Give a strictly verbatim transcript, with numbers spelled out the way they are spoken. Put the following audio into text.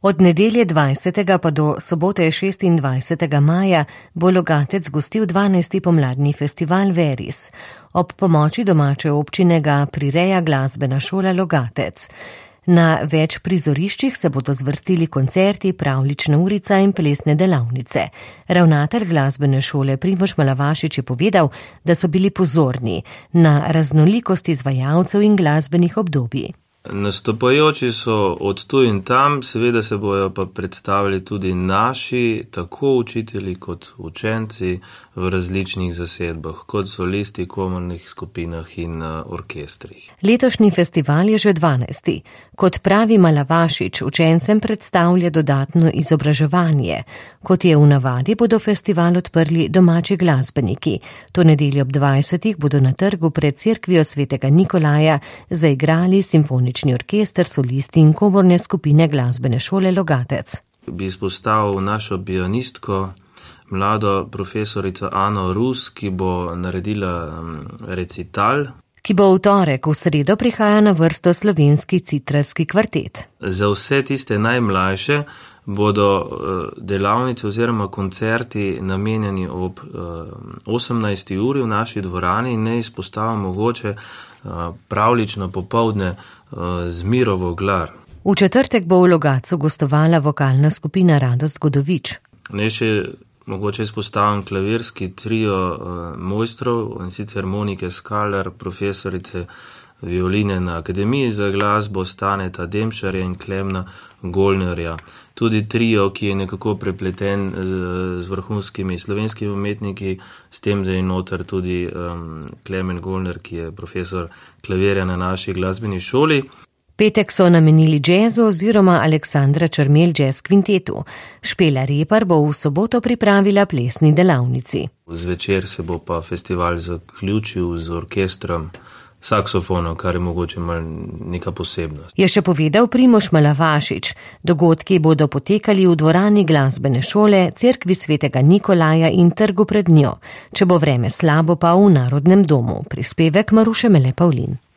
Od nedelje dvajsetega pa do sobote šestindvajsetega maja bo Logatec gostil dvanajsti pomladni festival Veris. Ob pomoči domače občine ga prireja glasbena šola Logatec. Na več prizoriščih se bodo zvrstili koncerti, pravljična urica in plesne delavnice. Ravnatelj glasbene šole Primož Malavašič je povedal, da so bili pozorni na raznolikost izvajalcev in glasbenih obdobij. Nastopajoči so od tu in tam, seveda se bojo pa predstavili tudi naši, tako učitelji kot učenci v različnih zasedbah, kot solisti, komornih skupinah in orkestrih. Letošnji festival je že dvanajsti. Kot pravi Malavašič, učencem predstavlja dodatno izobraževanje. Kot je v navadi, bodo festival odprli domači glasbeniki. To nedeljo ob dvajsetih bodo na trgu pred cerkvijo svetega Nikolaja zaigrali simfonični orkester, solisti in komorne skupine glasbene šole Logatec. Bi izpostavil našo pianistko, mlado profesorico Ano Rus, ki bo naredila recital. Ki bo v torek, v sredo prihaja na vrsto slovenski citrarski kvartet. Za vse tiste najmlajše bodo delavnice oziroma koncerti namenjeni ob osemnajsti uri v naši dvorani in ne izpostavljamo mogoče pravlično popoldne z Miro Voglar. V četrtek bo v Logatcu gostovala vokalna skupina Radost Godovič. Ne še mogoče izpostavim klavirski trio uh, mojstrov, in sicer Monike Skaler, profesorice violine na Akademiji za glasbo, Staneta Demšarja in Klemna Golnerja. Tudi trio, ki je nekako prepleten z, z vrhunskimi slovenskimi umetniki, s tem, da je noter tudi um, Klemen Golner, ki je profesor klavirja na naši glasbeni šoli. Petek so namenili džezu oziroma Aleksandra Črmelj jazz kvintetu. Špela Repar bo v soboto pripravila plesni delavnici. Zvečer se bo pa festival zaključil z orkestrom saksofonov, kar je mogoče malo neka posebnost. Je še povedal Primož Malavašič. Dogodki bodo potekali v dvorani glasbene šole, cerkvi svetega Nikolaja in trgu pred njo. Če bo vreme slabo, pa v Narodnem domu. Prispevek Maruše Mele Pavlin.